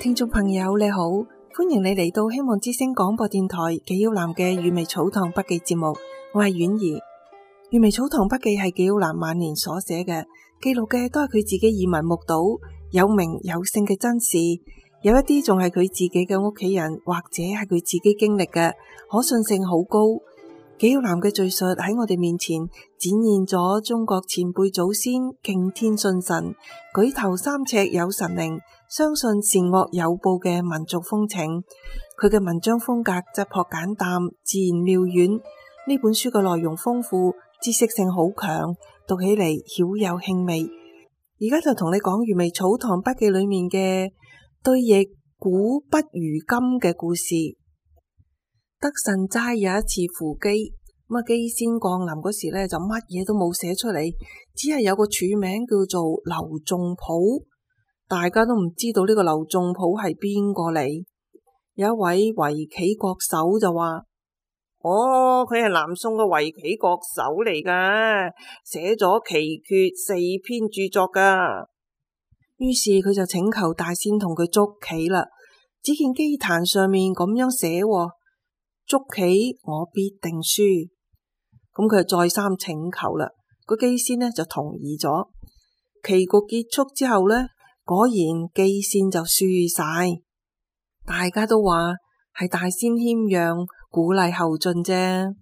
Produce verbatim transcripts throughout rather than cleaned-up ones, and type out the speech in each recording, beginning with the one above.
聽眾朋友你好，歡迎你嚟到希望之聲廣播電台紀曉嵐嘅閱微草堂筆記節目，我係婉兒。閱微草堂筆記係紀曉嵐晚年所寫嘅，記錄嘅都係佢自己耳聞目睹有名有姓嘅真事，有一啲仲係佢自己嘅屋企人或者係佢自己經歷嘅，可信性好高。紀曉嵐嘅敘述喺我哋面前展現咗中國前輩祖先敬天信神、舉頭三尺有神靈、相信善惡有報嘅民族風情。佢嘅文章風格質樸簡淡、自然妙遠。呢本書嘅內容豐富，知識性好強，讀起嚟曉有興味。而家就同你講閱微草堂筆記裏面嘅對譯古不如今嘅故事。德慎齋有一次赴乩，咁啊乩仙降臨嗰時咧就乜嘢都冇寫出嚟，只係有個署名叫做劉仲甫，大家都唔知道呢個劉仲甫係邊個嚟。有一位圍棋國手就話：哦，佢係南宋嘅圍棋國手嚟噶，寫咗奇訣四篇著作噶。於是佢就請求大仙同佢捉棋啦。只見棋壇上面咁樣寫：捉棋我必定輸。咁佢就再三請求啦，個棋仙呢就同意咗。棋局結束之後呢，果然棋仙就輸晒。大家都話係大仙謙讓，鼓勵後進啫。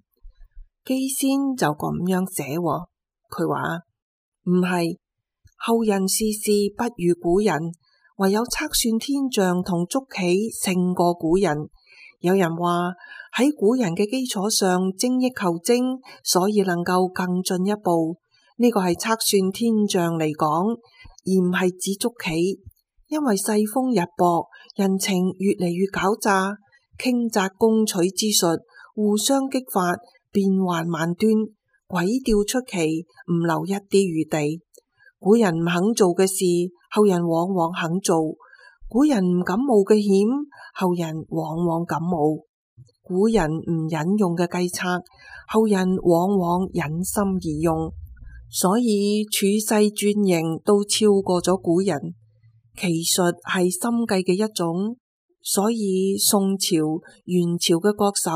棋仙就咁樣寫，佢話唔係，後人事事不如古人，唯有測算天象同捉棋勝過古人。有人話喺古人嘅基礎上精益求精，所以能夠更進一步。呢個係測算天象嚟講，而唔係指捉棋。因為世風日薄，人情越嚟越狡詐，傾軋攻取之術互相激發，變幻萬端，詭調出奇，唔留一啲餘地。古人唔肯做嘅事，後人往往肯做；古人唔敢冒嘅險，後人往往敢冒；古人唔忍用嘅計策，後人往往忍心而用。所以處世轉型都超過咗古人。奇術係心計嘅一種，所以宋朝、元朝嘅國手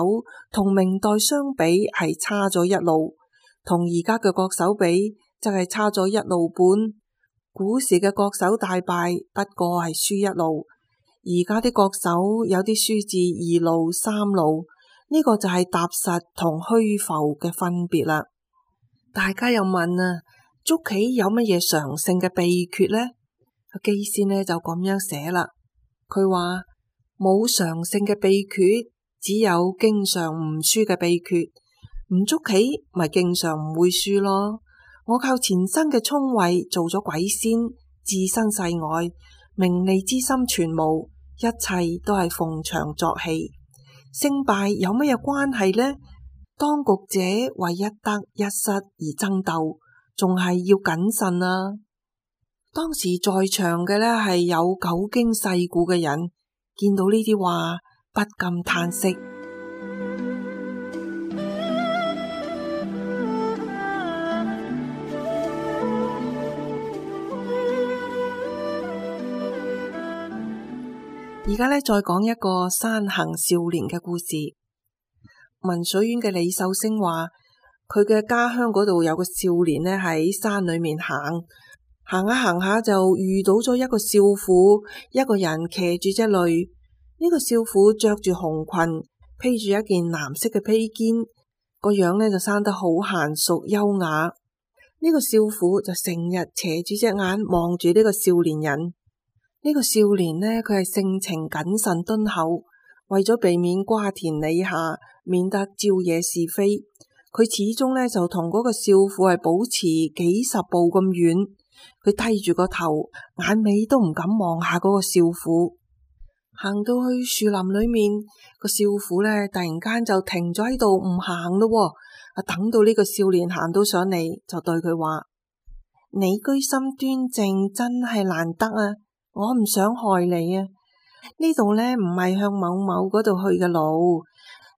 同明代相比係差咗一路，同而家嘅國手比就係差咗一路半。古時嘅國手大敗不過係輸一路，而家啲國手有啲輸至二路三路，呢個就係踏實同虛浮嘅分別啦。大家又問啊，捉棋有乜嘢常勝嘅秘訣呢？棋仙呢就咁樣寫啦，佢話冇常勝嘅秘訣，只有經常唔輸嘅秘訣。唔捉棋咪經常唔會輸咯。我靠前生嘅聰慧做咗鬼仙，置身世外，名利之心全無，一切都係逢場作戲。勝敗有乜嘢關係呢？當局者為一得一失而爭鬥，仲係要謹慎啊！當時在場嘅呢係有久經世故嘅人，見到呢啲話不禁嘆息。而家呢再講一個山行少年嘅故事。文水縣嘅李壽星話，佢嘅家鄉嗰度有個少年呢喺山裏面行。行下行下就遇到咗一個少婦，一個人騎住隻驢。呢個少婦着住紅裙，披住一件藍色嘅披肩，個樣呢就生得好嫻淑優雅。呢個少婦就成日斜住隻眼望住呢個少年人。呢個少年呢，佢係性情謹慎敦厚，為咗避免瓜田李下，免得招惹是非，佢始終呢就同嗰個少婦係保持幾十步咁遠。佢低住個頭，眼尾都唔敢望下嗰個少婦。行到去樹林裏面，個少婦呢突然間就停咗喺度唔行咯。啊，等到呢個少年行到上嚟，就對佢話：你居心端正，真係難得啊！我唔想害你啊！呢度呢唔係向某某嗰度去嘅路，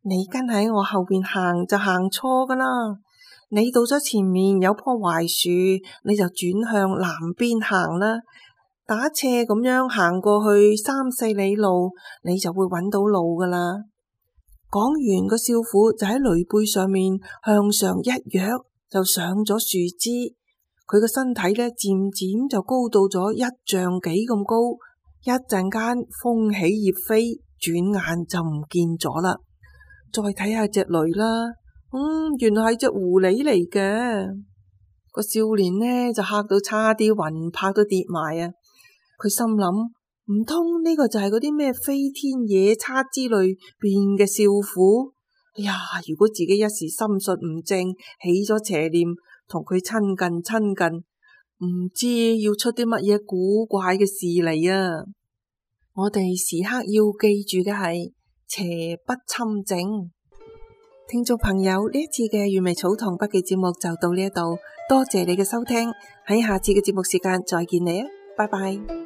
你跟喺我後邊行就行錯噶啦。你到咗前面有棵槐樹，你就轉向南邊行啦。打斜咁樣行過去三四里路，你就會揾到路噶啦。講完，個少婦就喺驢背上面向上一躍，就上咗樹枝。佢個身體呢，漸漸就高到咗一丈幾咁高。一陣間風起葉飛，轉眼就唔見咗啦。再睇下隻驢啦，嗯，原來係隻狐狸嚟嘅。個少年呢就嚇到差啲魂魄都跌埋啊！佢心諗，唔通呢個就係嗰啲咩飛天野叉之類變嘅少婦？哎呀，如果自己一時心術唔正，起咗邪念，同佢親近親近，唔知要出啲乜嘢古怪嘅事嚟啊！我哋時刻要記住嘅係邪不侵正。聽眾朋友，呢一次嘅閱微草堂筆記節目就到呢一度，多謝你嘅收聽，喺下次嘅節目時間再見你啊，拜拜。